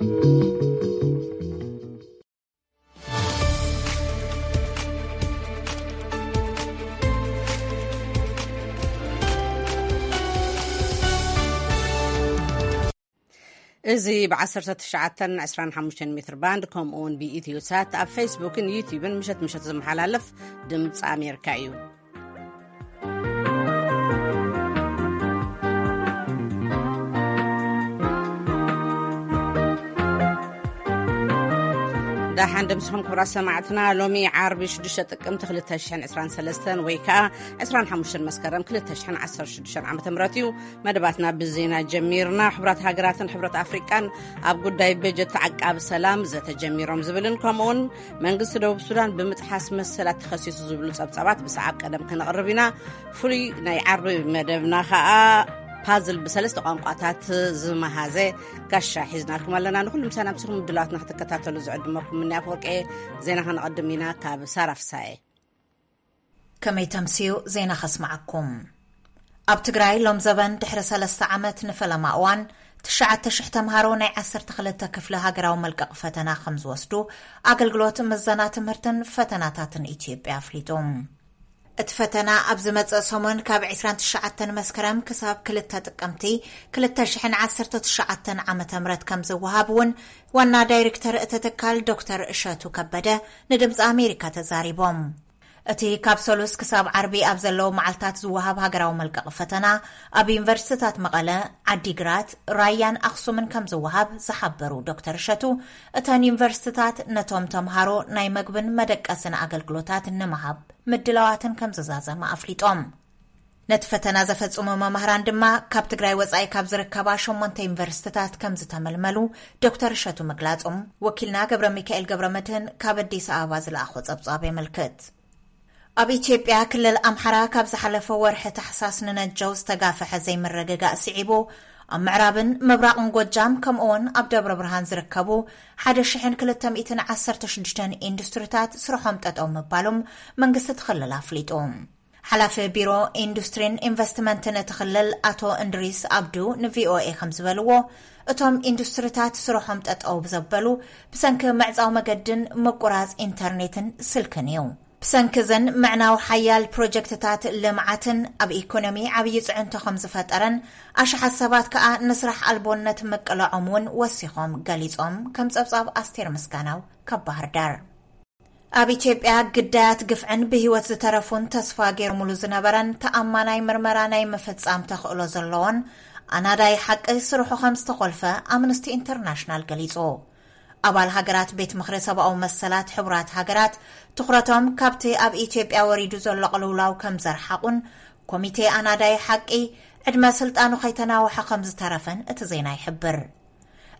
እዚ ብ19 25 ሜትር ባንድ፣ ከምኡ እውን ብኢትዮ ሳት ኣብ ፌስቡክን ዩቲዩብን ምሸት ምሸት ዝመሓላለፍ ድምፂ ኣሜሪካ እዩ። ደሓን ደምስኹም ክቡራት ሰማዕትና። ሎሚ ዓርቢ ሽዱሽተ ጥቅምቲ ክልተ ሽሕን ዕስራን ሰለስተን ወይ ከዓ ዕስራን ሓሙሽተን መስከረም ክልተ ሽሕን ዓሰርተ ሽዱሽተን ዓመተ ምህረት እዩ። መደባትና ብዜና ጀሚርና። ሕቡራት ሃገራትን ሕብረት ኣፍሪቃን ኣብ ጉዳይ በጀት ተዓቃቢ ሰላም ዘተ ጀሚሮም ዝብልን ከምኡውን መንግስቲ ደቡብ ሱዳን ብምጥሓስ መሰላት ተኸሲሱ ዝብሉ ጸብጻባት ብሰዓብ ቀደም ከነቕርብ ኢና። ፍሉይ ናይ ዓርቢ መደብና ከኣ ፓዝል ብሰለስተ ቋንቋታት ዝመሃዘ ጋሻ ሒዝናልኩም ኣለና። ንኹሉ ምሳና ምስኹም ምድላዋትና ክትከታተሉ ዝዕድመኩም ምንያ ኣፈወርቂ። ዜና ከነቐድም ኢና ካብ ሳራ ፍሳየ። ከመይ ተምስዩ ዜና ከስምዓኩም። ኣብ ትግራይ ሎም ዘበን ድሕሪ ሰለስተ ዓመት ንፈለማ እዋን ትሽዓተ ሽሕ ተምሃሮ ናይ ዓሰርተ ክልተ ክፍሊ ሃገራዊ መልቀቕ ፈተና ከም ዝወስዱ ኣገልግሎት ምዘና ትምህርትን ፈተናታትን ኢትዮጵያ ኣፍሊጡ። እቲ ፈተና ኣብ ዝመጽእ ሰሙን ካብ ዕስራን ትሽዓተን መስከረም ክሳብ ክልተ ጥቅምቲ ክልተ ሽሕን ዓሰርተ ትሽዓተን ዓመተ ምህረት ከም ዝወሃብ እውን ዋና ዳይሬክተር እቲ ትካል ዶክተር እሸቱ ከበደ ንድምፂ ኣሜሪካ ተዛሪቦም። እቲ ካብ ሰሉስ ክሳብ ዓርቢ ኣብ ዘለዉ መዓልታት ዝወሃብ ሃገራዊ መልቀቕ ፈተና ኣብ ዩኒቨርሲቲታት መቐለ፣ ዓዲግራት፣ ራያን ኣኽሱምን ከም ዝወሃብ ዝሓበሩ ዶክተር እሸቱ፣ እተን ዩኒቨርሲቲታት ነቶም ተምሃሮ ናይ መግብን መደቀስን ኣገልግሎታት ንምሃብ ምድላዋትን ከም ዝዛዘመ ኣፍሊጦም። ነቲ ፈተና ዘፈጽሙ መማህራን ድማ ካብ ትግራይ ወጻኢ ካብ ዝርከባ ሸሞንተ ዩኒቨርሲቲታት ከም ዝተመልመሉ ዶክተር እሸቱ ምግላጾም ወኪልና ገብረ ሚካኤል ገብረ መድህን ካብ ኣዲስ ኣበባ ዝለኣኾ ጸብጻብ የመልክት። ኣብ ኢትዮጵያ ክልል ኣምሓራ ካብ ዝሓለፈ ወርሒ ታሕሳስ ንነጀው ዝተጋፍሐ ዘይምርግጋእ ስዒቡ ኣብ ምዕራብን ምብራቕን ጎጃም ከምኡውን ኣብ ደብረ ብርሃን ዝርከቡ ሓደ ሽሕን ክልተ ሚእትን ዓሰርተ ሽዱሽተን ኢንዱስትሪታት ስርሖም ጠጠው ምባሎም መንግስቲ እቲ ክልል ኣፍሊጡ። ሓላፊ ቢሮ ኢንዱስትሪን ኢንቨስትመንትን እቲ ክልል ኣቶ እንድሪስ ኣብዱ ንቪኦኤ ከም ዝበልዎ፣ እቶም ኢንዱስትሪታት ስርሖም ጠጠው ዘበሉ ብሰንኪ ምዕጻው መገድን ምቁራጽ ኢንተርኔትን ስልክን እዩ። ብሰንኪ እዘን ምዕናው ሓያል ፕሮጀክትታት ልምዓትን ኣብ ኢኮኖሚ ዓብዪ ጽዕንቶ ከም ዝፈጠረን ኣሽሓት ሰባት ከኣ ንስራሕ ኣልቦነት ምቅላዖም እውን ወሲኾም ገሊጾም። ከም ጸብጻብ ኣስቴር ምስጋናው ካብ ባህር ዳር። ኣብ ኢትዮጵያ ግዳያት ግፍዕን ብህይወት ዝተረፉን ተስፋ ገይሮምሉ ዝነበረን ተኣማናይ ምርመራ ናይ ምፍጻም ተኽእሎ ዘለዎን ኣናዳይ ሓቂ ስርሑ ከም ዝተኾልፈ ኣምነስቲ ኢንተርናሽናል ገሊጹ። ኣባል ሃገራት ቤት ምኽሪ ሰብኣዊ መሰላት ሕቡራት ሃገራት ትኹረቶም ካብቲ ኣብ ኢትዮጵያ ወሪዱ ዘሎ ቅልውላው ከም ዘርሓቑን ኮሚቴ ኣናዳይ ሓቂ ዕድመ ስልጣኑ ከይተናውሐ ከም ዝተረፈን እቲ ዜና ይሕብር።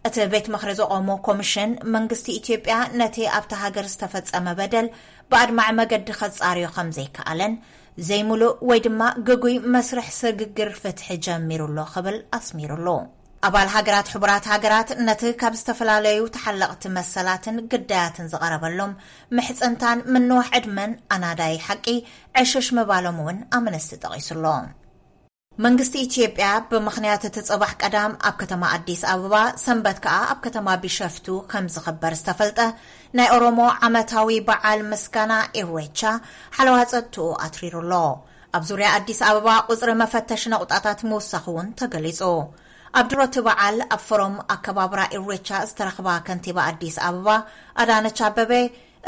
እቲ ቤት ምኽሪ ዘቖሞ ኮሚሽን መንግስቲ ኢትዮጵያ ነቲ ኣብታ ሃገር ዝተፈጸመ በደል ብኣድማዒ መገዲ ከጻርዮ ከም ዘይከኣለን ዘይምሉእ ወይ ድማ ግጉይ መስርሕ ስግግር ፍትሒ ጀሚሩ ኣሎ ክብል ኣስሚሩሉ። ኣባል ሃገራት ሕቡራት ሃገራት ነቲ ካብ ዝተፈላለዩ ተሓለቕቲ መሰላትን ግዳያትን ዝቐረበሎም ምሕጽንታን ምንዋሕ ዕድመን ኣናዳይ ሓቂ ዕሽሽ ምባሎም እውን ኣምነስቲ ጠቒሱሎ። መንግስቲ ኢትዮጵያ ብምኽንያት እቲ ጽባሕ ቀዳም ኣብ ከተማ ኣዲስ ኣበባ፣ ሰንበት ከኣ ኣብ ከተማ ቢሸፍቱ ከም ዝኽበር ዝተፈልጠ ናይ ኦሮሞ ዓመታዊ በዓል ምስጋና ኢሬቻ ሓለዋ ጸጥትኡ ኣትሪሩ ኣሎ። ኣብ ዙርያ ኣዲስ ኣበባ ቁጽሪ መፈተሽ ነቑጣታት ምውሳኽ እውን ተገሊጹ። ኣብ ድሮ እቲ በዓል ኣብ ፎረም ኣከባብራ ኢሬቻ ዝተረኽባ ከንቲባ ኣዲስ ኣበባ ኣዳነች ኣበቤ፣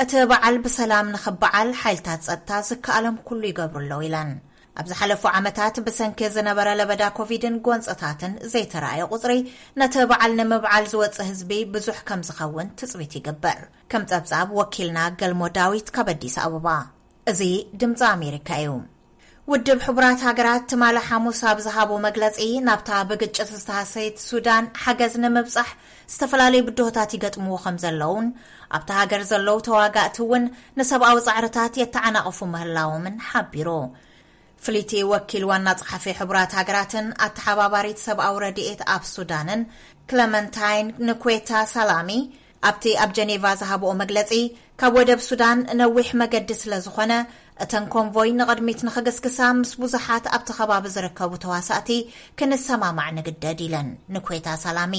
እቲ በዓል ብሰላም ንኽበዓል ሓይልታት ጸጥታ ዝከኣሎም ኩሉ ይገብሩ ኣለዉ ኢለን። ኣብ ዝሓለፉ ዓመታት ብሰንኪ ዝነበረ ለበዳ ኮቪድን ጎንጽታትን ዘይተራእየ ቁጽሪ ነቲ በዓል ንምብዓል ዝወጽእ ህዝቢ ብዙሕ ከም ዝኸውን ትጽቢት ይግበር። ከም ጸብጻብ ወኪልና ገልሞ ዳዊት ካብ ኣዲስ ኣበባ። እዚ ድምጺ ኣሜሪካ እዩ። ውድብ ሕቡራት ሃገራት ትማሊ ሓሙስ ኣብ ዝሃቦ መግለጺ፣ ናብታ ብግጭት ዝተሃሰየት ሱዳን ሓገዝ ንምብጻሕ ዝተፈላለዩ ብድሆታት ይገጥምዎ ከም ዘለውን ኣብታ ሃገር ዘለዉ ተዋጋእቲ እውን ንሰብኣዊ ጻዕርታት የተዓናቕፉ ምህላዎምን ሓቢሩ። ፍልይቲ ወኪል ዋና ጸሓፊ ሕቡራት ሃገራትን ኣተሓባባሪት ሰብኣዊ ረድኤት ኣብ ሱዳንን ክለመንታይን ንኩዌታ ሳላሚ ኣብቲ ኣብ ጀኔቫ ዝሃብኦ መግለጺ፣ ካብ ወደብ ሱዳን ነዊሕ መገዲ ስለ ዝኾነ፣ እተን ኮንቮይ ንቕድሚት ንኽግስግሳ ምስ ብዙሓት ኣብቲ ከባቢ ዝርከቡ ተዋሳእቲ ክንሰማማዕ ንግደድ ኢለን ንኩዌታ ሳላሚ።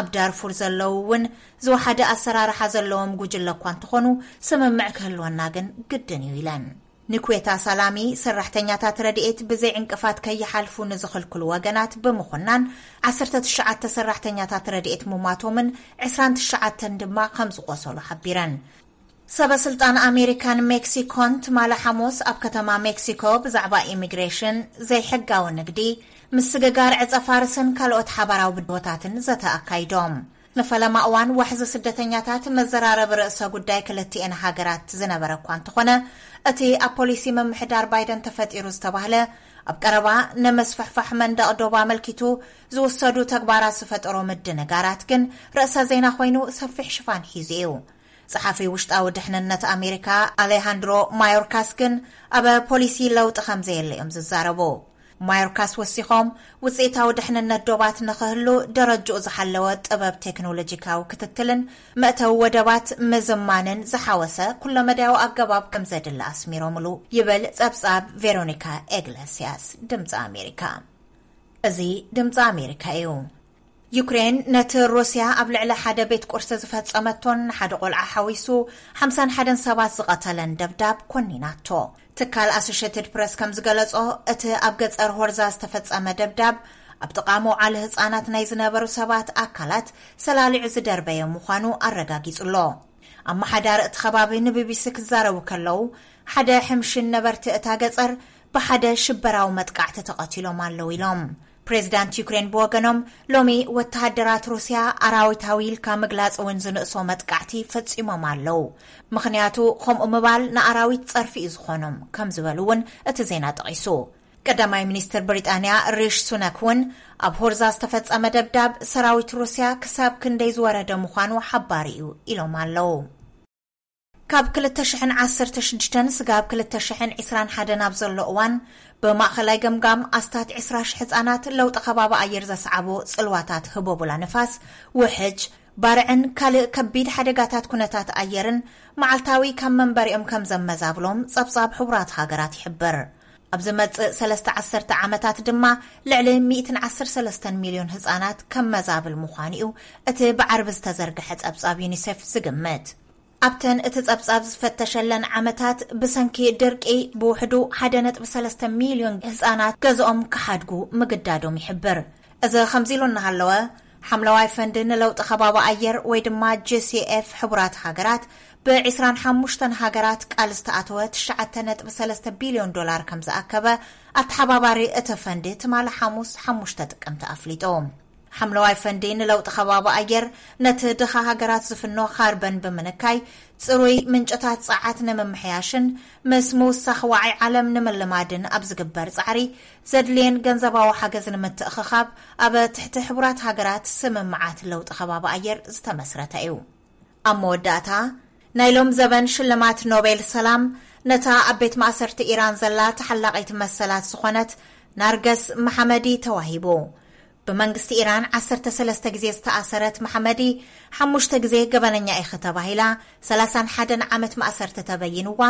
ኣብ ዳርፉር ዘለዉ እውን ዝወሓደ ኣሰራርሓ ዘለዎም ጉጅለ እኳ እንተኾኑ፣ ስምምዕ ክህልወና ግን ግድን እዩ ኢለን። ንኩዌታ ሳላሚ፣ ሰራሕተኛታት ረድኤት ብዘይ ዕንቅፋት ከይሓልፉ ንዝኽልክሉ ወገናት ብምኹናን፣ ዓሰርተ ትሽዓተ ሰራሕተኛታት ረድኤት ምሟቶምን ዕስራን ትሽዓተን ድማ ከም ዝቖሰሉ ሓቢረን። ሰበ ስልጣን ኣሜሪካን ሜክሲኮን ትማሊ ሓሙስ ኣብ ከተማ ሜክሲኮ ብዛዕባ ኢሚግሬሽን፣ ዘይሕጋዊ ንግዲ፣ ምስግጋር ዕጸ ፋርስን ካልኦት ሓባራዊ ብድሆታትን ዘተ ኣካይዶም። ንፈለማ እዋን ዋሕዚ ስደተኛታት መዘራረቢ ርእሰ ጉዳይ ክልቲኤን ሃገራት ዝነበረ እኳ እንተኾነ፣ እቲ ኣብ ፖሊሲ ምምሕዳር ባይደን ተፈጢሩ ዝተባህለ ኣብ ቀረባ ንምስፍሕፋሕ መንደቕ ዶብ ኣመልኪቱ ዝውሰዱ ተግባራት ዝፈጠሮ ምድንጋራት ግን ርእሰ ዜና ኮይኑ ሰፊሕ ሽፋን ሒዙ እዩ። ጸሓፊ ውሽጣዊ ድሕንነት ኣሜሪካ ኣሌሃንድሮ ማዮርካስ ግን ኣብ ፖሊሲ ለውጢ ከም ዘየለ እዮም ዝዛረቡ። ማዮርካስ ወሲኾም፣ ውጽኢታዊ ድሕንነት ዶባት ንኽህሉ ደረጅኡ ዝሓለወ ጥበብ ቴክኖሎጂካዊ ክትትልን መእተዊ ወደባት ምዝማንን ዝሓወሰ ኩለመዳያዊ ኣገባብ ከም ዘድሊ ኣስሚሮምሉ ይብል ጸብጻብ ቬሮኒካ ኤግለስያስ ድምፂ ኣሜሪካ። እዚ ድምፂ ኣሜሪካ እዩ። ዩክሬን ነቲ ሩስያ ኣብ ልዕሊ ሓደ ቤት ቁርሲ ዝፈጸመቶን ንሓደ ቆልዓ ሓዊሱ ሓምሳን ሓደን ሰባት ዝቐተለን ደብዳብ ኮኒናቶ። ትካል ኣሶሽየትድ ፕረስ ከም ዝገለጾ፣ እቲ ኣብ ገጸር ሆርዛ ዝተፈጸመ ደብዳብ ኣብ ጥቓ መውዓሊ ህጻናት ናይ ዝነበሩ ሰባት ኣካላት ሰላሊዑ ዝደርበየ ምዃኑ ኣረጋጊጹ ኣሎ። ኣመሓዳሪ እቲ ከባቢ ንቢቢሲ ክዛረቡ ከለዉ፣ ሓደ ሕምሽን ነበርቲ እታ ገጸር ብሓደ ሽበራዊ መጥቃዕቲ ተቐቲሎም ኣለዉ ኢሎም። ፕሬዚዳንት ዩክሬን ብወገኖም፣ ሎሚ ወተሃደራት ሩስያ ኣራዊታዊ ኢልካ ምግላጽ እውን ዝንእሶ መጥቃዕቲ ፈጺሞም ኣለዉ፣ ምኽንያቱ ከምኡ ምባል ንኣራዊት ጸርፊ እዩ ዝኾኖም ከም ዝበሉ እውን እቲ ዜና ጠቒሱ። ቀዳማይ ሚኒስትር ብሪጣንያ ሪሽ ሱነክ እውን፣ ኣብ ሆርዛ ዝተፈጸመ ደብዳብ ሰራዊት ሩስያ ክሳብ ክንደይ ዝወረደ ምዃኑ ሓባሪ እዩ ኢሎም ኣለዉ። ካብ ክልተ ሽሕን ዓሰርተ ሽዱሽተን ስጋብ ክልተ ሽሕን ዕስራን ሓደን ኣብ ዘሎ እዋን፣ ብማእኸላይ ገምጋም ኣስታት ዕስራ ሽሕ ህጻናት ለውጢ ከባቢ ኣየር ዘስዓቦ ጽልዋታት ህቦቡላ ንፋስ፣ ውሕጅ፣ ባርዕን ካልእ ከቢድ ሓደጋታት ኩነታት ኣየርን መዓልታዊ ካብ መንበሪኦም ከም ዘመዛብሎም ጸብጻብ ሕቡራት ሃገራት ይሕብር። ኣብ ዝመጽእ ሰለስተ ዓሰርተ ዓመታት ድማ ልዕሊ ሚእትን ዓሰርተ ሰለስተን ሚልዮን ህጻናት ከም መዛብል ምዃኑ እዩ እቲ ብዓርቢ ዝተዘርግሐ ጸብጻብ ዩኒሴፍ ዝግምት። ኣብተን እቲ ጸብጻብ ዝፈተሸለን ዓመታት ብሰንኪ ድርቂ ብውሕዱ ሓደ ነጥቢ ሰለስተ ሚልዮን ህጻናት ገዝኦም ክሓድጉ ምግዳዶም ይሕብር። እዚ ከምዚ ኢሉ እናሃለወ፣ ሓምለዋይ ፈንዲ ንለውጢ ከባቢ ኣየር ወይ ድማ ጂ ሲ ኤፍ ሕቡራት ሃገራት ብዕስራን ሓሙሽተን ሃገራት ቃል ዝተኣተወ ትሽዓተ ነጥቢ ሰለስተ ቢልዮን ዶላር ከም ዝኣከበ ኣተሓባባሪ እቲ ፈንዲ ትማሊ ሓሙስ ሓሙሽተ ጥቅምቲ ኣፍሊጡ። ሓምለዋይ ፈንዲ ንለውጢ ከባቢ ኣየር ነቲ ድኻ ሃገራት ዝፍኖ ካርበን ብምንካይ፣ ጽሩይ ምንጭታት ጸዓት ንምምሕያሽን ምስ ምውሳኽ ዋዒ ዓለም ንምልማድን ኣብ ዝግበር ጻዕሪ ዘድልየን ገንዘባዊ ሓገዝ ንምትእኽኻብ ኣብ ትሕቲ ሕቡራት ሃገራት ስምምዓት ለውጢ ከባቢ ኣየር ዝተመስረተ እዩ። ኣብ መወዳእታ፣ ናይ ሎም ዘበን ሽልማት ኖቤል ሰላም ነታ ኣብ ቤት ማእሰርቲ ኢራን ዘላ ተሓላቒት መሰላት ዝኾነት ናርገስ መሓመዲ ተዋሂቡ። ብመንግስቲ ኢራን ዓሰርተ ሰለስተ ግዜ ዝተኣሰረት መሓመዲ፣ ሓሙሽተ ግዜ ገበነኛ ኢኺ ተባሂላ፣ ሰላሳን ሓደን ዓመት ማእሰርቲ ተበይንዋ፣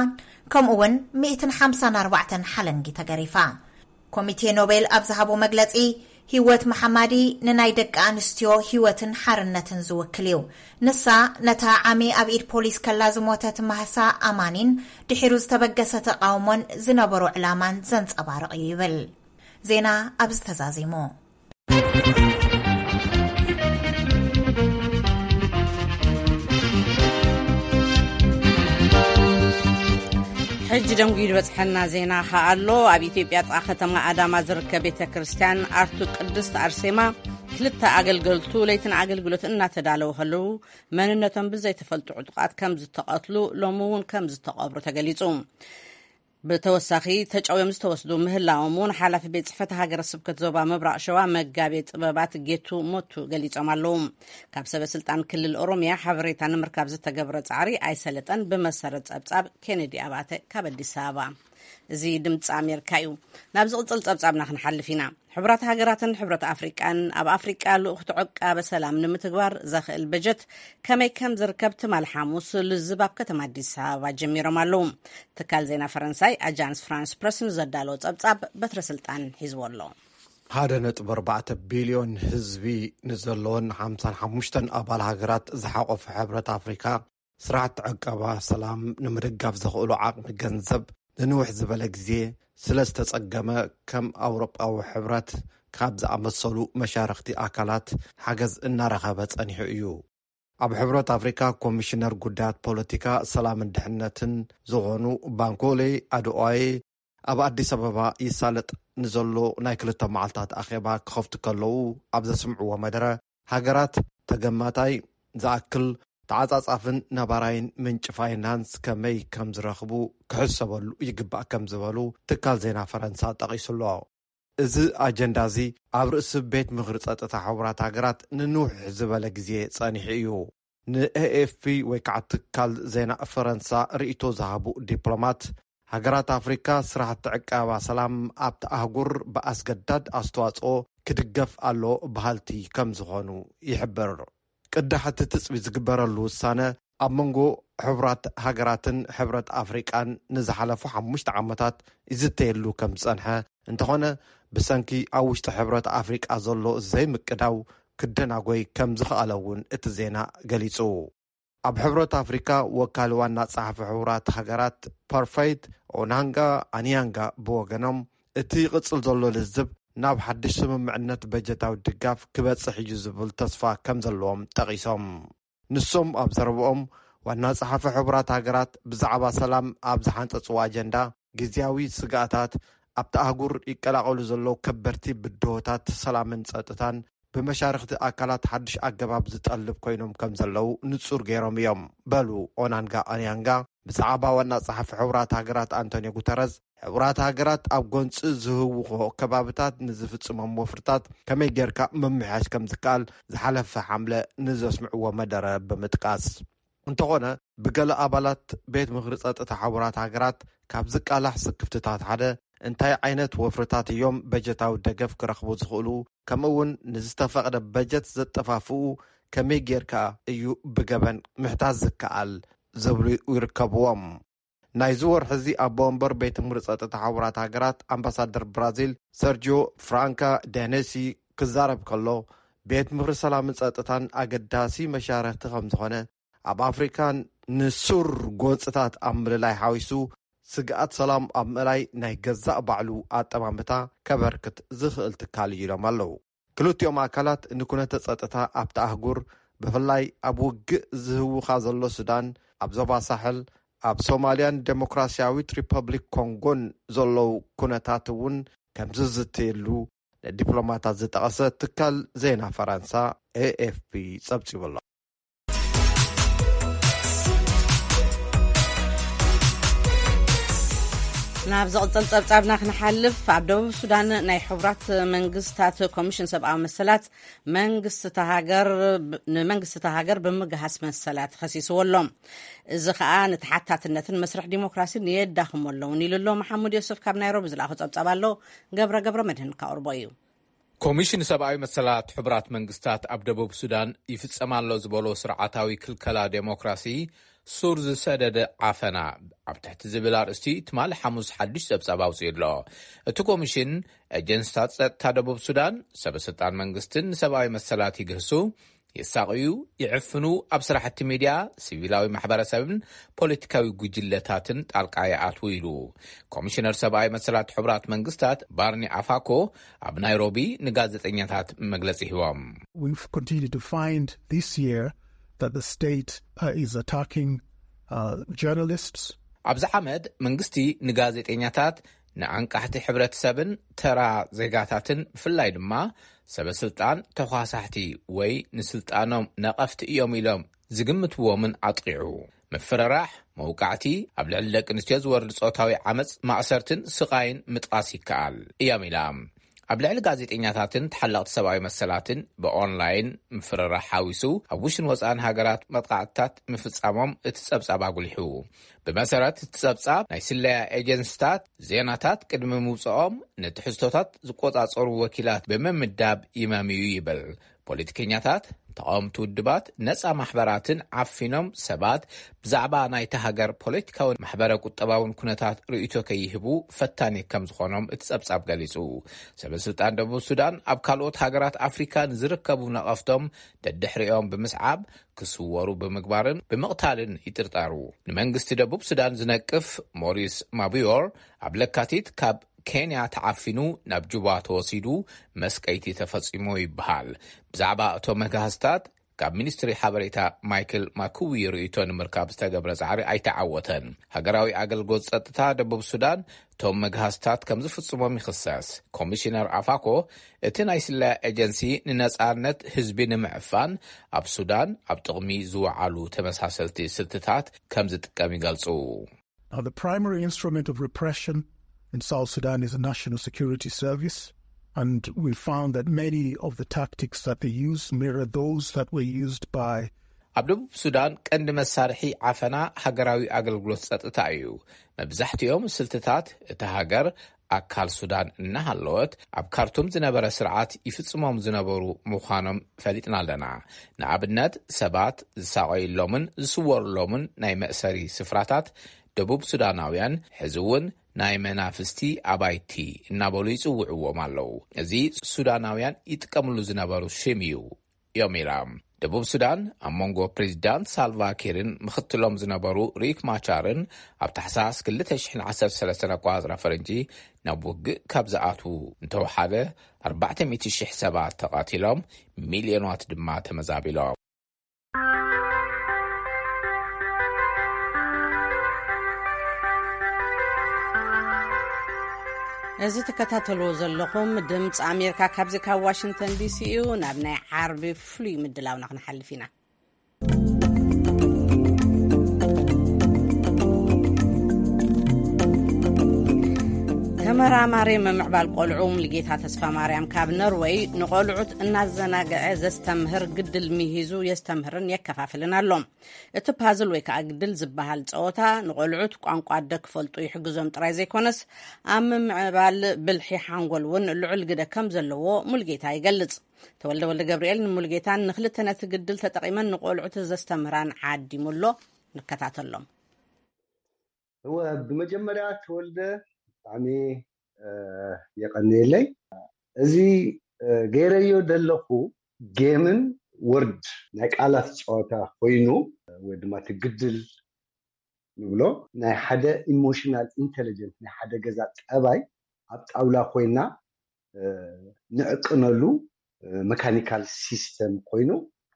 ከምኡ እውን ሚእትን ሓምሳን ኣርባዕተን ሓለንጊ ተገሪፋ። ኮሚቴ ኖቤል ኣብ ዝሃቦ መግለጺ፣ ህይወት መሓማዲ ንናይ ደቂ ኣንስትዮ ህይወትን ሓርነትን ዝውክል እዩ። ንሳ ነታ ዓሚ ኣብ ኢድ ፖሊስ ከላ ዝሞተት ማህሳ ኣማኒን ድሒሩ ዝተበገሰ ተቃውሞን ዝነበሮ ዕላማን ዘንጸባርቕ እዩ ይብል። ዜና ኣብዚ ተዛዚሙ። ሕጂ ደንጉዩ ዝበጽሐና ዜና ከኣ ኣሎ። ኣብ ኢትዮጵያ ጥቓ ከተማ ኣዳማ ዝርከብ ቤተ ክርስቲያን ኣርቱ ቅድስት ኣርሴማ፣ ክልተ ኣገልገልቱ ለይትን ኣገልግሎት እናተዳለዉ ከለዉ መንነቶም ብዘይተፈልጡ ዕጡቓት ከም ዝተቐትሉ፣ ሎሚ እውን ከም ዝተቐብሩ ተገሊጹ። ብተወሳኺ ተጨውዮም ዝተወስዱ ምህላዎም እውን ሓላፊ ቤት ጽሕፈት ሃገረ ስብከት ዞባ ምብራቕ ሸዋ መጋቤ ጥበባት ጌቱ ሞቱ ገሊጾም ኣለዉ። ካብ ሰበ ስልጣን ክልል ኦሮሚያ ሓበሬታ ንምርካብ ዝተገብረ ጻዕሪ ኣይሰለጠን። ብመሰረት ጸብጻብ ኬኔዲ ኣባተ ካብ ኣዲስ ኣበባ። እዚ ድምፂ ኣሜሪካ እዩ። ናብ ዝቕጽል ጸብጻብና ክንሓልፍ ኢና። ሕቡራት ሃገራትን ሕብረት ኣፍሪቃን ኣብ ኣፍሪቃ ልኡኽቲ ዕቃበ ሰላም ንምትግባር ዘኽእል በጀት ከመይ ከም ዝርከብ ትማል ሓሙስ ልዝብ ኣብ ከተማ ኣዲስ ኣበባ ጀሚሮም ኣለዉ። ትካል ዜና ፈረንሳይ ኣጃንስ ፍራንስ ፕረስ ንዘዳለዎ ጸብጻብ በትረ ስልጣን ሒዝዎ ኣሎ። ሓደ ነጥቢ ኣርባዕተ ቢልዮን ህዝቢ ንዘለዎን ሓምሳን ሓሙሽተን ኣባል ሃገራት ዝሓቆፈ ሕብረት ኣፍሪካ፣ ስራሕቲ ዕቀባ ሰላም ንምድጋፍ ዘኽእሉ ዓቕሚ ገንዘብ ንንውሕ ዝበለ ግዜ ስለ ዝተጸገመ፣ ከም ኣውሮጳዊ ሕብረት ካብ ዝኣመሰሉ መሻርኽቲ ኣካላት ሓገዝ እናረኸበ ጸኒሑ እዩ። ኣብ ሕብረት ኣፍሪካ ኮሚሽነር ጉዳያት ፖለቲካ፣ ሰላምን ድሕነትን ዝኾኑ ባንኮሌ ኣድዋዬ፣ ኣብ ኣዲስ ኣበባ ይሳለጥ ንዘሎ ናይ ክልተ መዓልታት ኣኼባ ክኸፍቱ ከለዉ ኣብ ዘስምዕዎ መደረ፣ ሃገራት ተገማታይ ዝኣክል ተዓጻጻፍን ነባራይን ምንጪ ፋይናንስ ከመይ ከም ዝረኽቡ ክሕሰበሉ ይግባእ ከም ዝበሉ ትካል ዜና ፈረንሳ ጠቒሱ ኣሎ። እዚ ኣጀንዳ እዚ ኣብ ርእሲ ቤት ምኽሪ ጸጥታ ሕቡራት ሃገራት ንንውሕ ዝበለ ግዜ ጸኒሑ እዩ። ንኤኤፍፒ ወይ ከዓ ትካል ዜና ፈረንሳ ርእይቶ ዝሃቡ ዲፕሎማት፣ ሃገራት ኣፍሪካ ስራሕቲ ዕቃባ ሰላም ኣብቲ ኣህጉር ብኣስገዳድ ኣስተዋፅኦ ክድገፍ ኣሎ በሃልቲ ከም ዝኾኑ ይሕብር። ቅዳሕ እቲ ትፅቢት ዝግበረሉ ውሳነ ኣብ መንጎ ሕቡራት ሃገራትን ሕብረት ኣፍሪቃን ንዝሓለፉ ሓሙሽተ ዓመታት ይዝተየሉ ከም ዝጸንሐ፣ እንተኾነ ብሰንኪ ኣብ ውሽጢ ሕብረት ኣፍሪቃ ዘሎ ዘይምቅዳው ክደናጎይ ከም ዝኸኣለ እውን እቲ ዜና ገሊጹ። ኣብ ሕብረት ኣፍሪካ ወካሊ ዋና ጸሓፊ ሕቡራት ሃገራት ፐርፈይት ኦናንጋ ኣኒያንጋ ብወገኖም፣ እቲ ይቕጽል ዘሎ ልዝብ ናብ ሓድሽ ስምምዕነት በጀታዊ ድጋፍ ክበጽሕ እዩ ዝብል ተስፋ ከም ዘለዎም ጠቒሶም። ንሶም ኣብ ዘረብኦም፣ ዋና ጸሓፊ ሕቡራት ሃገራት ብዛዕባ ሰላም ኣብ ዝሓንጸጽዎ ኣጀንዳ፣ ግዝያዊ ስግኣታት ኣብቲ ኣህጉር ይቀላቐሉ ዘለዉ ከበድቲ ብድሆታት ሰላምን ጸጥታን ብመሻርኽቲ ኣካላት ሓድሽ ኣገባብ ዝጠልብ ኮይኖም ከም ዘለዉ ንጹር ገይሮም እዮም በሉ ኦናንጋ ኣንያንጋ። ብዛዕባ ዋና ጸሓፊ ሕቡራት ሃገራት ኣንቶኒዮ ጉተረዝ፣ ሕቡራት ሃገራት ኣብ ጎንጺ ዝህውኾ ከባብታት ንዝፍጽሞም ወፍርታት ከመይ ጌርካ ምምሕያሽ ከም ዝከኣል ዝሓለፈ ሓምለ ንዘስምዕዎ መደረ ብምጥቃስ፣ እንተኾነ ብገለ ኣባላት ቤት ምኽሪ ጸጥታ ሕቡራት ሃገራት ካብ ዝቃላሕ ስክፍትታት ሓደ፣ እንታይ ዓይነት ወፍርታት እዮም በጀታዊ ደገፍ ክረኽቡ ዝኽእሉ፣ ከምኡ እውን ንዝተፈቕደ በጀት ዘጠፋፍኡ ከመይ ጌርካ እዩ ብገበን ምሕታት ዝከኣል ዝብሉ ይርከብዎም። ናይዚ ወርሒ እዚ ኣቦ ወንበር ቤት ምኽሪ ጸጥታ ሕቡራት ሃገራት ኣምባሳደር ብራዚል ሰርጂዮ ፍራንካ ዳኔሲ ክዛረብ ከሎ፣ ቤት ምኽሪ ሰላምን ጸጥታን ኣገዳሲ መሻርኽቲ ከም ዝኾነ፣ ኣብ ኣፍሪካን ንሱር ጎንጽታት ኣብ ምልላይ ሓዊሱ ስግኣት ሰላም ኣብ ምእላይ ናይ ገዛእ ባዕሉ ኣጠማምታ ከበርክት ዝኽእል ትካል እዩ ኢሎም ኣለዉ። ክልቲኦም ኣካላት ንኩነተ ጸጥታ ኣብቲ ኣህጉር፣ ብፍላይ ኣብ ውግእ ዝህውኻ ዘሎ ሱዳን፣ ኣብ ዞባ ሳሕል፣ ኣብ ሶማልያን ዴሞክራሲያዊት ሪፐብሊክ ኮንጎን ዘለዉ ኩነታት እውን ከም ዝዝተየሉ ንዲፕሎማታት ዝጠቐሰ ትካል ዜና ፈረንሳ ኤኤፍፒ ጸብጺቡ ኣሎ። ናብ ዝቕጽል ጸብጻብና ክንሓልፍ፣ ኣብ ደቡብ ሱዳን ናይ ሕቡራት መንግስታት ኮሚሽን ሰብኣዊ መሰላት መንግስቲ እታ ሃገር፣ ንመንግስቲ እታ ሃገር ብምግሃስ መሰላት ከሲስዎ ኣሎ። እዚ ከኣ ንተሓታትነትን መስርሕ ዲሞክራሲን የዳኽሞ ኣለውን ኢሉ ኣሎ። መሓሙድ ዮሱፍ ካብ ናይሮቢ ዝለኣኾ ጸብጻብ ኣሎ። ገብረ ገብረ መድህን ካቕርቦ እዩ። ኮሚሽን ሰብኣዊ መሰላት ሕቡራት መንግስታት ኣብ ደቡብ ሱዳን ይፍጸም ኣሎ ዝበሎ ስርዓታዊ ክልከላ ዴሞክራሲ ሱር ዝሰደደ ዓፈና ኣብ ትሕቲ ዝብል ኣርእስቲ ትማሊ ሓሙስ ሓድሽ ጸብጻብ ኣውጺኡ ኣሎ። እቲ ኮሚሽን፣ ኤጀንስታት ጸጥታ ደቡብ ሱዳን፣ ሰበ ስልጣን መንግስትን ንሰብኣዊ መሰላት ይግህሱ፣ የሳቕዩ፣ ይዕፍኑ፣ ኣብ ስራሕቲ ሚድያ፣ ሲቪላዊ ማሕበረሰብን ፖለቲካዊ ጉጅለታትን ጣልቃ ይኣትዉ ኢሉ። ኮሚሽነር ሰብኣዊ መሰላት ሕቡራት መንግስታት ባርኒ ኣፋኮ ኣብ ናይሮቢ ንጋዜጠኛታት መግለጺ ሂቦም። We've continued to find this year that the state uh, is attacking uh, journalists. ኣብዚ ዓመት መንግስቲ ንጋዜጠኛታት፣ ንኣንቃሕቲ ሕብረተሰብን ተራ ዜጋታትን፣ ብፍላይ ድማ ሰበ ስልጣን ተኳሳሕቲ ወይ ንስልጣኖም ነቐፍቲ እዮም ኢሎም ዝግምትዎምን ኣጥቒዑ። ምፍርራሕ፣ መውቃዕቲ፣ ኣብ ልዕሊ ደቂ ኣንስትዮ ዝወርድ ጾታዊ ዓመጽ፣ ማእሰርትን ስቓይን ምጥቓስ ይከኣል እዮም ኢላ። ኣብ ልዕሊ ጋዜጠኛታትን ተሓለቕቲ ሰብኣዊ መሰላትን ብኦንላይን ምፍርራሕ ሓዊሱ ኣብ ውሽን ወጻእን ሃገራት መጥቓዕትታት ምፍጻሞም እቲ ጸብጻብ ኣጉሊሑ። ብመሰረት እቲ ጸብጻብ፣ ናይ ስለያ ኤጀንስታት ዜናታት ቅድሚ ምውጽኦም ንትሕዝቶታት ዝቆጻጸሩ ወኪላት ብምምዳብ ይመምዩ ይብል። ፖለቲከኛታት፣ ተቓወምቲ ውድባት፣ ነጻ ማሕበራትን ዓፊኖም ሰባት ብዛዕባ ናይታ ሃገር ፖለቲካውን ማሕበረ ቁጠባውን ኩነታት ርእይቶ ከይህቡ ፈታኒ ከም ዝኾኖም እቲ ጸብጻብ ገሊጹ። ሰበ ስልጣን ደቡብ ሱዳን ኣብ ካልኦት ሃገራት ኣፍሪካ ንዝርከቡ ነቐፍቶም ደድሕሪኦም ብምስዓብ ክስወሩ ብምግባርን ብምቕታልን ይጥርጠሩ። ንመንግስቲ ደቡብ ሱዳን ዝነቅፍ ሞሪስ ማቡዮር ኣብ ለካቲት ካብ ኬንያ ተዓፊኑ ናብ ጁባ ተወሲዱ መስቀይቲ ተፈጺሙ ይበሃል። ብዛዕባ እቶም መግሃስታት ካብ ሚኒስትሪ ሓበሬታ ማይክል ማኩዊ ርእይቶ ንምርካብ ዝተገብረ ጻዕሪ ኣይተዓወተን። ሃገራዊ ኣገልግሎት ጸጥታ ደቡብ ሱዳን እቶም መግሃስታት ከም ዝፍጽሞም ይኽሰስ። ኮሚሽነር ኣፋኮ እቲ ናይ ስለያ ኤጀንሲ ንነጻነት ህዝቢ ንምዕፋን ኣብ ሱዳን ኣብ ጥቕሚ ዝወዓሉ ተመሳሰልቲ ስልትታት ከም ዝጥቀም ይገልጹ። Now, the primary instrument of repression in South Sudan is the National Security Service, and we found that many of the tactics that they use mirror those that were used by ኣብ ደቡብ ሱዳን ቀንዲ መሳርሒ ዓፈና ሃገራዊ ኣገልግሎት ጸጥታ እዩ። መብዛሕትኦም ስልትታት እቲ ሃገር ኣካል ሱዳን እናሃለወት ኣብ ካርቱም ዝነበረ ስርዓት ይፍጽሞም ዝነበሩ ምዃኖም ፈሊጥና ኣለና። ንኣብነት ሰባት ዝሳቐዩሎምን ዝስወሩሎምን ናይ መእሰሪ ስፍራታት ደቡብ ሱዳናውያን ሕዚ እውን ናይ መናፍስቲ ኣባይቲ እናበሉ ይጽውዕዎም ኣለዉ። እዚ ሱዳናውያን ይጥቀምሉ ዝነበሩ ሽም እዩ። ዮሚራ ደቡብ ሱዳን ኣብ መንጎ ፕሬዚዳንት ሳልቫ ኪርን ምኽትሎም ዝነበሩ ሪክ ማቻርን ኣብ ታሕሳስ ክልተ ሽሕን ዓሰርተ ሰለስተን ኣቋጽራ ፈረንጂ ናብ ውግእ ካብ ዝኣትዉ እንተወሓደ ኣርባዕተ ሚእቲ ሽሕ ሰባት ተቓቲሎም፣ ሚልዮናት ድማ ተመዛቢሎም። እዚ ትከታተልዎ ዘለኹም ድምፂ ኣሜሪካ ካብዚ ካብ ዋሽንግተን ዲሲ እዩ። ናብ ናይ ዓርቢ ፍሉይ ምድላውና ክንሓልፍ ኢና። ተመራማሪ ምምዕባል ቆልዑ ሙልጌታ ተስፋ ማርያም ካብ ነርወይ ንቆልዑት እናዘናግዐ ዘስተምህር ግድል ሚሂዙ የስተምህርን የከፋፍልን ኣሎ። እቲ ፓዝል ወይ ከዓ ግድል ዝበሃል ፀወታ ንቆልዑት ቋንቋ ኣደ ክፈልጡ ይሕግዞም ጥራይ ዘይኮነስ ኣብ ምምዕባል ብልሒ ሓንጎል እውን ልዑል ግደ ከም ዘለዎ ሙልጌታ ይገልፅ። ተወልደ ወልደ ገብርኤል ንሙልጌታን ንክልተ ነቲ ግድል ተጠቒመን ንቆልዑት ዘስተምህራን ዓዲሙ ኣሎ። ንከታተሎም። እወ፣ ብመጀመርያ ተወልደ ብጣዕሚ የቐንየለይ። እዚ ገይረዮ ዘለኹ ጌምን ወርድ ናይ ቃላት ፀወታ ኮይኑ ወይ ድማ ትግድል ንብሎ ናይ ሓደ ኢሞሽናል ኢንቴሊጀንስ ናይ ሓደ ገዛ ጠባይ ኣብ ጣውላ ኮይና ንዕቅነሉ መካኒካል ሲስተም ኮይኑ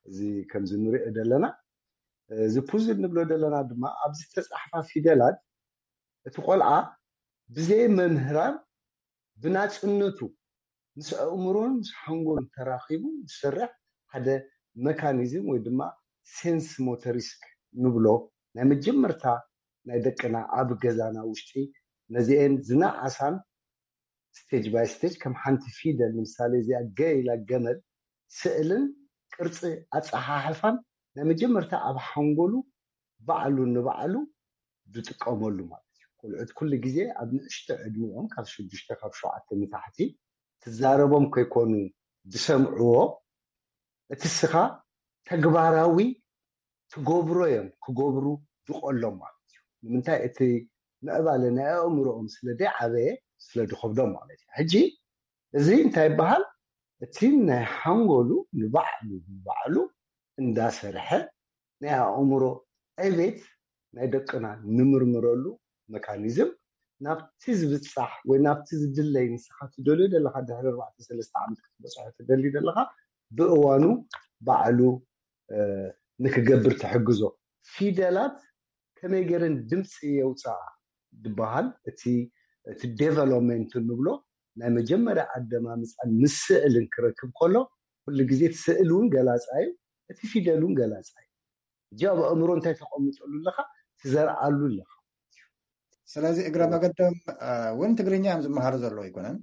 እዚ ከምዚ ንሪኦ ዘለና እዚ ፑዝል ንብሎ ዘለና ድማ ኣብዚ ተፃሕፋ ፊደላት እቲ ቆልዓ ብዘይ መምህራን ብናፅነቱ ምስ ኣእምሮን ምስ ሓንጎሉን ተራኺቡ ዝሰርሕ ሓደ መካኒዝም ወይ ድማ ሴንስ ሞተሪስክ ንብሎ ናይ መጀመርታ ናይ ደቅና ኣብ ገዛና ውሽጢ ነዚአን ዝነኣሳን ስቴጅ ባይ ስቴጅ ከም ሓንቲ ፊደል ንምሳሌ እዚኣ ገ ኢላ ገመል ስእልን ቅርፂ ኣፀሓሕፋን ናይ መጀመርታ ኣብ ሓንጎሉ ባዕሉ ንባዕሉ ዝጥቀመሉ ማለት እዩ። ቆልዑት ኩሉ ግዜ ኣብ ንእሽቶ ዕድሚኦም ካብ ሽዱሽተ ካብ ሸውዓተ ንታሕቲ ትዛረቦም ከይኮኑ ዝሰምዕዎ እቲ ስኻ ተግባራዊ ትገብሮ እዮም ክገብሩ ዝቆሎም ማለት እዩ። ንምንታይ እቲ ምዕባለ ናይ ኣእምሮኦም ስለ ዘይዓበየ ስለ ዝኸብዶም ማለት እዩ። ሕጂ እዚ እንታይ ይበሃል? እቲ ናይ ሓንጎሉ ንባዕሉ ንባዕሉ እንዳሰርሐ ናይ ኣእምሮ ዕቤት ናይ ደቅና ንምርምረሉ መካኒዝም ናብቲ ዝብፃሕ ወይ ናብቲ ዝድለይ ንስኻ ትደልዮ ዘለካ ድሕሪ ኣርባዕተ ሰለስተ ዓመት ክትበፅሖ ትደሊ ዘለካ ብእዋኑ ባዕሉ ንክገብር ትሕግዞ። ፊደላት ከመይ ገይረን ድምፂ የውፅኣ ዝበሃል እቲ እቲ ዴቨሎፕመንት ንብሎ ናይ መጀመርያ ኣደማምፃን ምስ ስእልን ክረክብ ከሎ ኩሉ ግዜ እቲ ስእል እውን ገላፃ እዩ፣ እቲ ፊደል እውን ገላፃ እዩ። ሕጂ ኣብ ኣእምሮ እንታይ ተቐምጠሉ ኣለካ ትዘርኣሉ ኣለካ። ስለዚ እግረ መገዶም እውን ትግርኛ እዮም ዝመሃሩ ዘለዉ ኣይኮነን?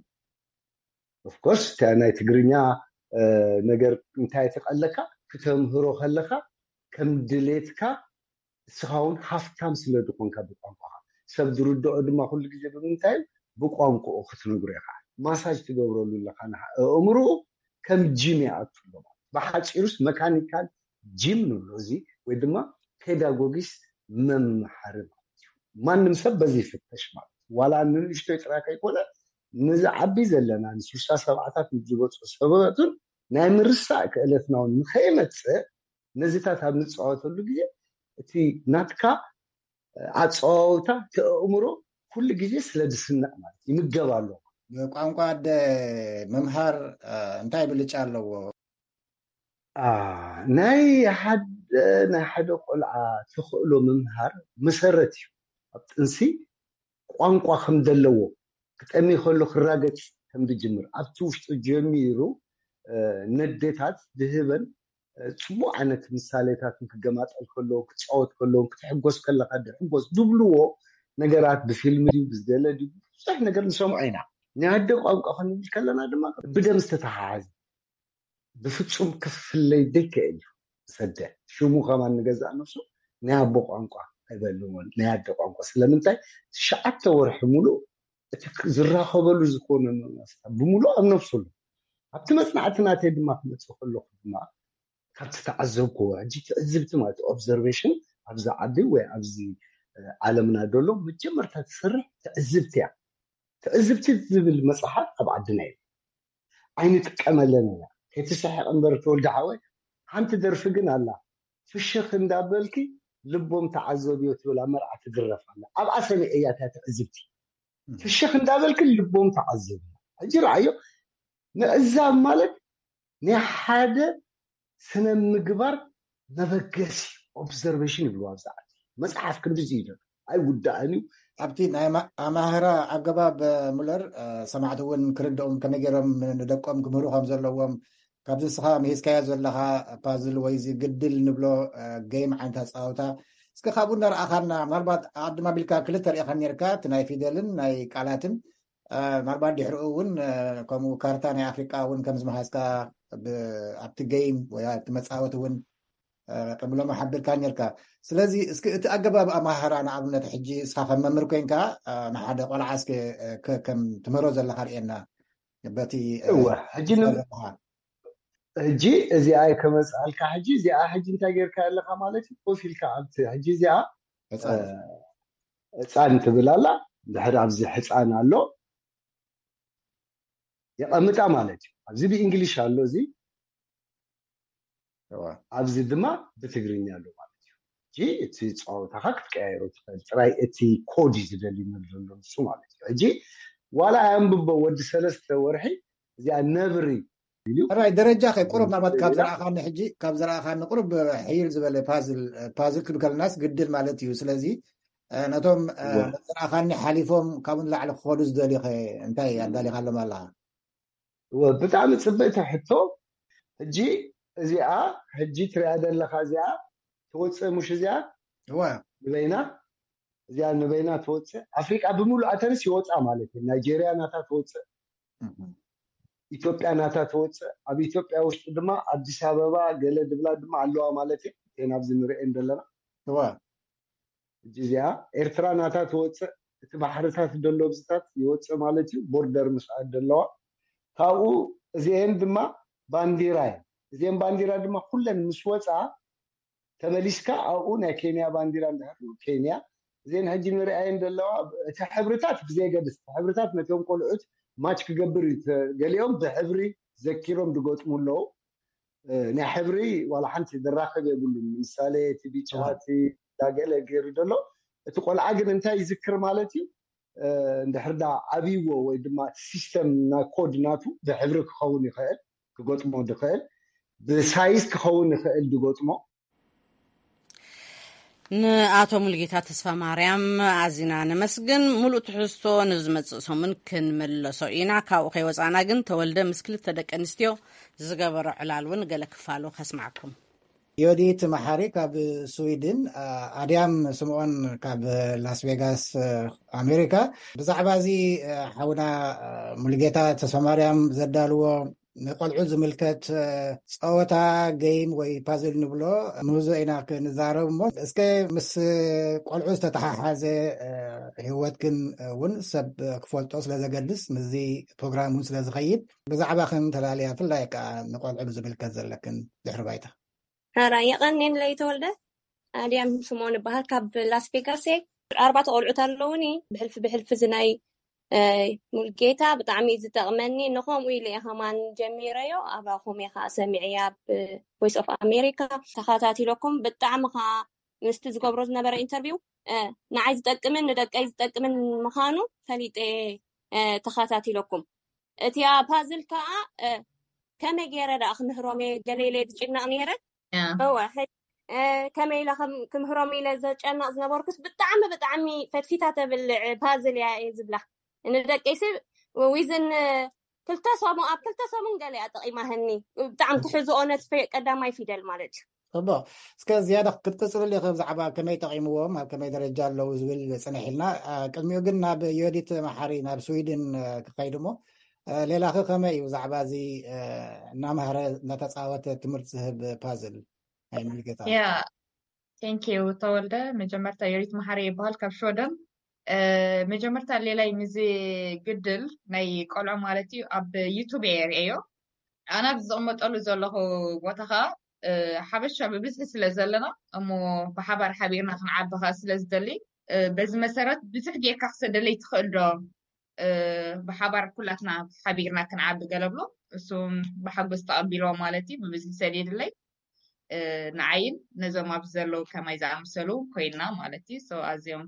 ኦፍኮርስ እታ ናይ ትግርኛ ነገር እንታይ ተቐለካ ክተምህሮ ከለካ ከም ድሌትካ እስኻ እውን ሃፍታም ስለ ዝኾንካ ብቋንቋኻ ሰብ ዝርድኦ ድማ ኩሉ ግዜ ብምንታይ እዩ ብቋንቋኡ ክትነግሮ ኢኻ። ማሳጅ ትገብረሉ ኣለካ ንሓ- ኣእምርኡ ከም ጂም ይኣቱ ኣሎ ማለት እዩ። ብሓፂሩስ መካኒካል ጂም ንብሎ እዚ ወይ ድማ ፔዳጎጊስት መምሓሪ ማለት እዩ። ማንም ሰብ በዚ ይፍተሽ ማለት እዩ። ዋላ ንንእሽቶይ ጥራይ ከይኮነ ንዝዓቢ ዘለና ንስልሳ ሰብዓታት ንዝበፁ ሰበቱን ናይ ምርሳእ ክእለትና እውን ንኸይመፅእ ነዚታት ኣብ ንፃወተሉ ግዜ እቲ ናትካ ኣፀዋውታ እቲ ኣእምሮ ኩሉ ግዜ ስለ ዝስነቕ ማለት ይምገብ ኣሎ። ቋንቋ ኣደ ምምሃር እንታይ ብልጫ ኣለዎ? ናይ ሓደ ናይ ሓደ ቆልዓ ተኽእሎ ምምሃር መሰረት እዩ። ኣብ ጥንሲ ቋንቋ ከም ዘለዎ ክጠሚ ከሎ ክራገጽ ከም ዝጅምር ኣብቲ ውሽጡ ጀሚሩ ነዴታት ዝህበን ጽቡቅ ዓይነት ምሳሌታት ክገማጠል ከለዎ ክጻወት ከለዎ ክትሕጎስ ከለካ ሕጎስ ዝብልዎ ነገራት ብፊልም ድዩ ብዝገለ ድዩ ብዙሕ ነገር ንሰምዖ ኢና። ናይ ኣደ ቋንቋ ክንብል ከለና ድማ ብደም ዝተተሓሓዘ ብፍጹም ክፍለይ ዘይክእል እዩ። ሰደ ሽሙ ከማን ንገዛእ ነብሱ ናይ ኣቦ ቋንቋ ኣይበልዎን ናይ ኣደ ቋንቋ ስለምንታይ ትሽዓተ ወርሒ ሙሉእ እቲ ዝራኸበሉ ዝኾነ ብሙሉእ ኣብ ነብሱ ኣሎ። ኣብቲ መጽናዕቲ ናተይ ድማ ክመጽእ ከለኹ ድማ ካብቲ ተዓዘብክዎ ሕጂ ትዕዝብቲ ማለት ኦብዘርቬሽን ኣብዚ ዓዲ ወይ ኣብዚ ዓለምና ዘሎ መጀመርታ ትሰርሕ ትዕዝብቲ እያ። ትዕዝብቲ ዝብል መፅሓፍ ኣብ ዓድና እዩ ኣይንጥቀመለን ኢና። ከይትስሕቕ እምበር ተወልደ ሓወይ ሓንቲ ደርፊ ግን ኣላ ፍሽኽ እንዳበልኪ ልቦም ተዓዘብዮ ትብል ኣብ መርዓ ትድረፍ ኣላ ኣብኣ ሰሚዐ እያ እታ ትዕዝብቲ ፍሽኽ እንዳበልኪ ልቦም ተዓዘብዮ ሕጂ ረኣዮ ምዕዛብ ማለት ናይ ሓደ ስነ ምግባር መበገሲ ኦብዘርቬሽን ይብሉ ኣብዚ ዓዲ መፅሓፍ ክንድዚ እዩ ኣይውዳእን እዩ። ኣብቲ ናይ ኣማህራ ኣገባብ ሙለር ሰማዕቲ እውን ክርድኦም ከመይ ገይሮም ንደቆም ክምህሩ ከም ዘለዎም ካብዚ ንስኻ ምሂዝካዮ ዘለኻ ፓዝል ወይ እዚ ግድል ንብሎ ገይም ዓይነት ኣፃወታ እስከ ካብኡ እናረኣኻና ምናልባት ኣድማ ቢልካ ክልተ ርኢኻ ነርካ እቲ ናይ ፊደልን ናይ ቃላትን ምናልባት ድሕሪኡ እውን ከምኡ ካርታ ናይ ኣፍሪቃ እውን ከም ዝመሃዝካ ኣብቲ ገይም ወይ ኣብቲ መፃወቲ እውን ቅድሚ ሎሚ ሓቢርካ ነርካ። ስለዚ እስኪ እቲ ኣገባብ ኣማሃራ ንኣብነት ሕጂ እስኻ ከም መምህር ኮይንካ ንሓደ ቆልዓ እስኪ ከም ትምህሮ ዘለካ ርእየና በቲ እወ ሕጂ ሕጂ እዚኣ ከመፅኣልካ ሕጂ እዚኣ ሕጂ እንታይ ጌርካ ኣለካ ማለት እዩ ኮፍ ኢልካ ኣብቲ ሕጂ እዚኣ ህፃን ትብል ኣላ ድሕሪ ኣብዚ ሕፃን ኣሎ የቐምጣ ማለት እዩ ኣብዚ ብእንግሊሽ ኣሎ እዚ ኣብዚ ድማ ብትግርኛ ኣሎ ማለት እዩ እ እቲ ፀወታካ ክትቀያየሮ ትኽእል ጥራይ እቲ ኮድ እዩ ዝደሊ ንብል ዘሎ ንሱ ማለት እዩ ሕጂ ዋላ ኣንብቦ ወዲ ሰለስተ ወርሒ እዚኣ ነብሪ ራይ ደረጃ ከ ቁሩብ ናባት ካብ ዝረኣኻኒ ሕጂ ካብ ዝረኣኻኒ ቁሩብ ሕይል ዝበለ ፓዝል ፓዝል ክብል ከለናስ ግድል ማለት እዩ ስለዚ ነቶም ዝረኣኻኒ ሓሊፎም ካብኡ ንላዕሊ ክኸዱ ዝደልዩ ከ እንታይ ኣዳሊኻሎም ኣለኻ ብጣዕሚ ፅብቅቲ ሕቶ ሕጂ እዚኣ ሕጂ ትሪኣ ዘለካ እዚኣ ትወፅእ ሙሽ እዚኣ ንበይና እዚኣ ንበይና ትወፅእ ኣፍሪቃ ብምሉእ ኣተንስ ይወፃ ማለት እዩ ናይጀርያ ናታ ትወፅእ ኢትዮጵያ ናታ ትወፅእ ኣብ ኢትዮጵያ ውሽጢ ድማ ኣዲስ ኣበባ ገለ ድብላ ድማ ኣለዋ ማለት እዩ ናብዚ ንርኤን ዘለና ሕጂ እዚኣ ኤርትራ ናታ ትወፅእ እቲ ባሕርታት ደሎ ብዝታት ይወፅእ ማለት እዩ ቦርደር ምስኣ ደለዋ ካብኡ እዚአን ድማ ባንዲራ እየ እዚአን ባንዲራ ድማ ኩለን ምስ ወፃ ተመሊስካ ኣብኡ ናይ ኬንያ ባንዲራ እንድሕር ኬንያ እዚአን ሕጂ ንርኣየን ዘለዋ እቲ ሕብርታት ብዘየገድስ እቲ ሕብርታት ነቶም ቆልዑት ማች ክገብር እዩ ገሊኦም ብሕብሪ ዘኪሮም ዝገጥሙ ኣለዉ ናይ ሕብሪ ዋላ ሓንቲ ዝራኸብ የብሉን ምሳሌ እቲ ቢጫ እቲ ዳገለ ገይሩ ዘሎ እቲ ቆልዓ ግን እንታይ ይዝክር ማለት እዩ እንድሕር ዳ ዓብይዎ ወይ ድማ እቲ ሲስተም ናይ ኮድ ናቱ ብሕብሪ ክኸውን ይኽእል ክገጥሞ ዝኽእል ብሳይዝ ክኸውን ይኽእል ዝገጥሞ ንኣቶ ሙሉጌታ ተስፋ ማርያም ኣዚና ነመስግን። ሙሉእ ትሕዝቶ ንዝመጽእ ሰሙን ክንምለሶ ኢና። ካብኡ ከይወጻእና ግን ተወልደ ምስ ክልተ ደቂ ኣንስትዮ ዝገበሮ ዕላል እውን ገለ ክፋሉ ከስማዕኩም። ዮዲት መሓሪ ካብ ስዊድን፣ ኣድያም ስምኦን ካብ ላስ ቬጋስ ኣሜሪካ። ብዛዕባ እዚ ሓውና ሙሉጌታ ተስፋ ማርያም ዘዳልዎ ንቆልዑ ዝምልከት ጸወታ፣ ገይም ወይ ፓዝል ንብሎ፣ ምህዞ ኢና ክንዛረብ እሞ፣ እስከ ምስ ቆልዑ ዝተተሓሓዘ ህይወትክን እውን ሰብ ክፈልጦ ስለ ዘገድስ፣ ምስዚ ፕሮግራም እውን ስለ ዝኸይድ፣ ብዛዕባኽን ተላልያ፣ ብፍላይ ከዓ ንቆልዑ ብዝምልከት ዘለክን ድሕሪ ባይታ። ሕራይ፣ የቐንየለይ ተወልደ። ኣድያም ስምኦን እበሃል፣ ካብ ላስ ቬጋስ እየ። ኣርባዕተ ቆልዑት ኣለውኒ። ብሕልፊ ብሕልፊ እዚ ናይ ሙልጌታ ብጣዕሚ እዩ ዝጠቕመኒ። ንኸምኡ ኢለ እየ ከማን ጀሚረዮ። ኣባኹም እየ ከዓ ሰሚዐያ፣ ኣብ ቮይስ ኦፍ ኣሜሪካ ተኸታቲለኩም። ብጣዕሚ ከዓ ምስቲ ዝገብሮ ዝነበረ ኢንተርቪው ንዓይ ዝጠቅምን ንደቀይ ዝጠቅምን ምዃኑ ፈሊጠ ተኸታቲለኩም። እቲኣ ፓዝል ከዓ ከመይ ገይረ ደኣ ክምህሮም እየ ገለ ኢለ ዝጭነቕ ነይረ። እወ፣ ከመይ ኢለ ክምህሮም ኢለ ዘጨነቕ ዝነበርኩስ፣ ብጣዕሚ ብጣዕሚ ፈትፊታ ተብልዕ ፓዝል እያ እየ ዝብላ። ንደቀይሲ ዊዝን ክልተ ሰሙን፣ ኣብ ክልተ ሰሙን ገለ እያ ጠቒማህኒ። ብጣዕሚ ትሕዝኦ ነቲ ቀዳማይ ፊደል ማለት እዩ። ጽቡቕ። እስከ ዝያዳ ክትቅጽልሉ ኢኺ ብዛዕባ ከመይ ጠቒምዎም፣ ኣብ ከመይ ደረጃ ኣለዉ ዝብል ጽንሕ ኢልና። ቅድሚኡ ግን ናብ ዮዲት መሓሪ ናብ ስዊድን ክኸይድ እሞ፣ ሌላኺ ከመይ እዩ ብዛዕባ እዚ እናመሃረ እናተጻወተ ትምህርቲ ዝህብ ፓዝል ናይ ሙሉጌታ? ያ፣ ቴንኪዩ ተወልደ። መጀመርታ ዮዲት መሓሪ ይበሃል ካብ ሽወደን። መጀመርታ ሌላይ ምዚ ግድል ናይ ቆልዑ ማለት እዩ ኣብ ዩቱብ እየ ርእዮ። ኣነ ኣብ ዝቕመጠሉ ዘለኹ ቦታ ኸዓ ሓበሻ ብብዝሒ ስለ ዘለና እሞ ብሓባር ሓቢርና ክንዓቢ ኸዓ ስለ ዝደሊ፣ በዚ መሰረት ብዙሕ ጌርካ ክሰደለይ ትኽእል ዶ? ብሓባር ኩላትና ሓቢርና ክንዓቢ ገለ ብሎ። እሱም ብሓጎስ ተቐቢልዎ ማለት እዩ። ብብዝሒ ሰዲድለይ። ንዓይን ነዞም ኣብዚ ዘለዉ ከማይ ዝኣመሰሉ ኮይንና ማለት እዩ። ኣዝዮም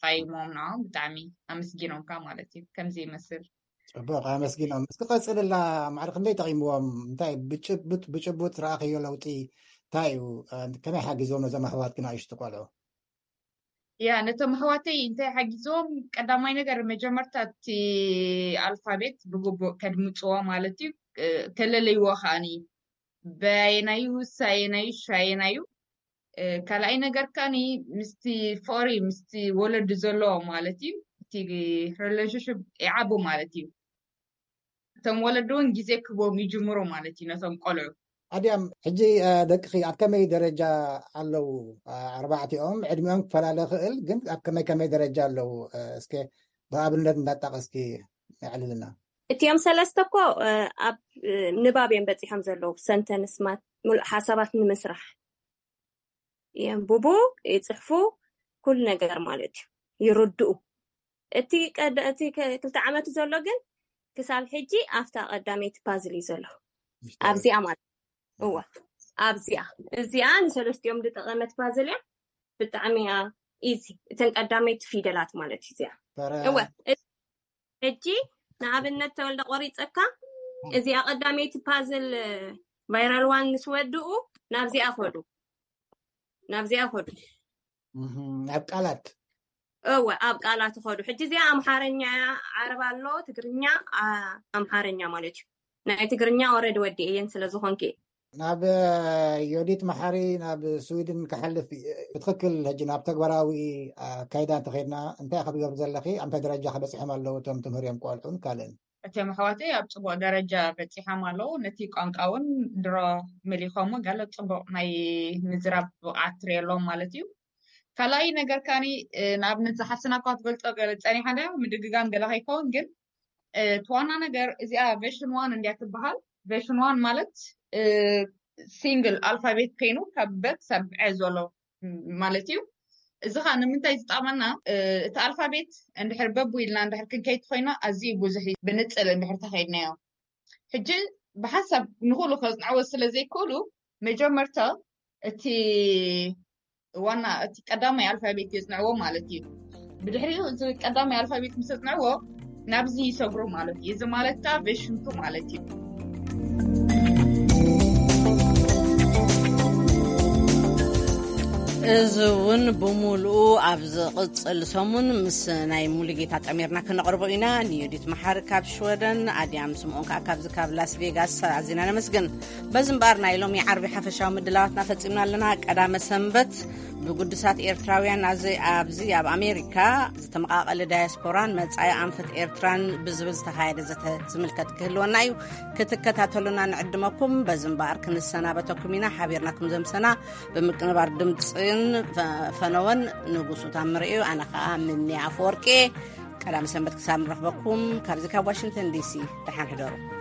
ጠቒሞም ንዓኦም ብጣዕሚ ኣመስጊኖምካ ማለት እዩ። ከምዚ ይመስል። ጽቡቕ፣ ኣመስጊኖም። እስኪ ቀጽልላ፣ ማዕረ ክንደይ ጠቒምዎም? እንታይ ብጭቡጥ ብጭቡጥ ረኣኽዮ ለውጢ እንታይ እዩ? ከመይ ሓጊዝዎም ነዞም ኣሕዋትኪ ንኣሽቱ ቆልዑ? ያ፣ ነቶም ኣሕዋተይ እንታይ ሓጊዝዎም? ቀዳማይ ነገር መጀመርታ እቲ ኣልፋቤት ብግቡእ ከድምፅዎ ማለት እዩ። ከለለይዎ ከዓኒ በየናዩ ሳየናዩ ሻየናዩ። ካልኣይ ነገር ከዓኒ ምስቲ ፍቕሪ ምስቲ ወለዲ ዘለዎ ማለት እዩ። እቲ ሪሌሽንሽፕ ይዓቡ ማለት እዩ። እቶም ወለዲ እውን ግዜ ክህቦም ይጅምሩ ማለት እዩ ነቶም ቆልዑ። ኣድያም፣ ሕጂ ደቅኺ ኣብ ከመይ ደረጃ ኣለዉ? ኣርባዕቲኦም ዕድሚኦም ክፈላለ ይኽእል፣ ግን ኣብ ከመይ ከመይ ደረጃ ኣለዉ? እስከ ብኣብነት እንዳጣቐስኪ ኣዕልልና። እቲኦም ሰለስተ እኮ ኣብ ንባብ እዮም በፂሖም ዘለዉ። ሰንተንስ ማት፣ ሙሉእ ሓሳባት ንምስራሕ የንብቡ፣ ይፅሕፉ፣ ኩሉ ነገር ማለት እዩ፣ ይርድኡ። እቲ ቀደ-፣ እቲ ከ-፣ ክልተ ዓመቱ ዘሎ ግን ክሳብ ሕጂ ኣብታ ቀዳመይቲ ፓዝል እዩ ዘሎ። ኣብዚኣ ማለት፣ እወ፣ ኣብዚኣ። እዚኣ ንሰለስቲኦም ዝጠቐመት ፓዝል እያ። ብጣዕሚ እያ ኢዚ። እተን ቀዳመይቲ ፊደላት ማለት እዩ እዚኣ። እወ፣ እ-፣ ሕጂ ንኣብነት ተወልደ ቆሪፀካ፣ እዚኣ ቀዳመይቲ ፓዝል ቫይራል ዋን ምስ ወድኡ ናብዚኣ ኸዱ። ናብዚኣ ኸዱ። እህ፣ ኣብ ቃላት? እወ፣ ኣብ ቃላት ኸዱ። ሕጂ እዚኣ ኣምሓርኛ እያ፣ ዓረብ ኣሎ፣ ትግርኛ፣ ኣ-፣ ኣምሓርኛ ማለት እዩ። ናይ ትግርኛ ኦረዲ ወዲኤየን ስለ ዝኾንኪ። ናብ ዮዲት መሓሪ ናብ ስዊድን ክሓልፍ እዩ። ብትኽክል ሕጂ ናብ ተግባራዊ ኣካይዳ እንተኸድና እንታይ ክትገብር ዘለኺ? ኣብ እንታይ ደረጃ ከበፂሖም ኣለዉ እቶም ትምህርዮም ቆልዑን ካልእን? እቶም ኣሕዋተይ ኣብ ጽቡቕ ደረጃ በጺሖም ኣለዉ። ነቲ ቋንቋ እውን ድሮ መሊኾሞ፣ ገለ ጽቡቕ ናይ ምዝራብ ብቕዓት ትርእየሎም ማለት እዩ። ካልኣይ ነገር ካኒ፣ እ፣ ንኣብነት ዝሓፍትና እኳ ትገልጾ ገለ ጸኒሓ እንድያ፣ ምድግጋም ገለ ከይከውን፣ ግን፣ እ፣ እቲ ዋና ነገር እዚኣ ቨርሽን ዋን እንድያ ትበሃል። ቨርሽን ዋን ማለት፣ እ፣ ሲንግል ኣልፋቤት ከይኑ ካብ በ ክሳብ ዐ ዘሎ ማለት እዩ። እዚ ኸዓ ንምንታይ ዝጠቕመና? እ፣ እቲ ኣልፋቤት እንድሕር በቡ ኢልና እንድሕር ክንከይድ ኮይና ኣዝዩ ብዙሕ እዩ፣ ብንጽል እንድሕር ተኸይድናዮ። ሕጂ ብሓንሳብ ንኹሉ ከጽንዕዎ ስለ ዘይክእሉ መጀመርታ እቲ ዋና፣ እቲ ቀዳማይ ኣልፋቤት የጽንዕዎ ማለት እዩ። ብድሕሪኡ እዚ ቀዳማይ ኣልፋቤት ምስ ኣጽንዕዎ ናብዚ ይሰግሩ ማለት እዩ። እዚ ማለት ከኣ ቨርሽን ቱ ማለት እዩ። እዚ እውን ብምሉኡ ኣብ ዝቕጽል ሰሙን ምስ ናይ ሙሉጌታ ጠሚርና ክነቕርቦ ኢና። ንዮዲት መሓሪ ካብ ሽወደን፣ ኣድያም ስምኦን ከኣ ካብዚ ካብ ላስ ቬጋስ ኣዚና ነመስግን። በዚ እምበኣር ናይ ሎሚ ዓርቢ ሓፈሻዊ ምድላዋትና ፈጺምና ኣለና። ቀዳመ ሰንበት ብጉዱሳት ኤርትራውያን ኣዚ ኣብዚ ኣብ ኣሜሪካ ዝተመቓቐለ ዳያስፖራን መጻኢ ኣንፈት ኤርትራን ብዝብል ዝተኻየደ ዘተ ዝምልከት ክህልወና እዩ። ክትከታተሉና ንዕድመኩም። በዚ እምበኣር ክንሰናበተኩም ኢና። ሓቢርና ከም ዘምሰና ብምቅንባር ድምፅን ፈ- ፈነወን ንጉሱ ታምር እዩ። ኣነ ከዓ ምኒ ኣፈወርቂ። ቀዳሚ ሰንበት ክሳብ ንረኽበኩም ካብዚ ካብ ዋሽንግተን ዲሲ፣ ደሓን ሕደሩ።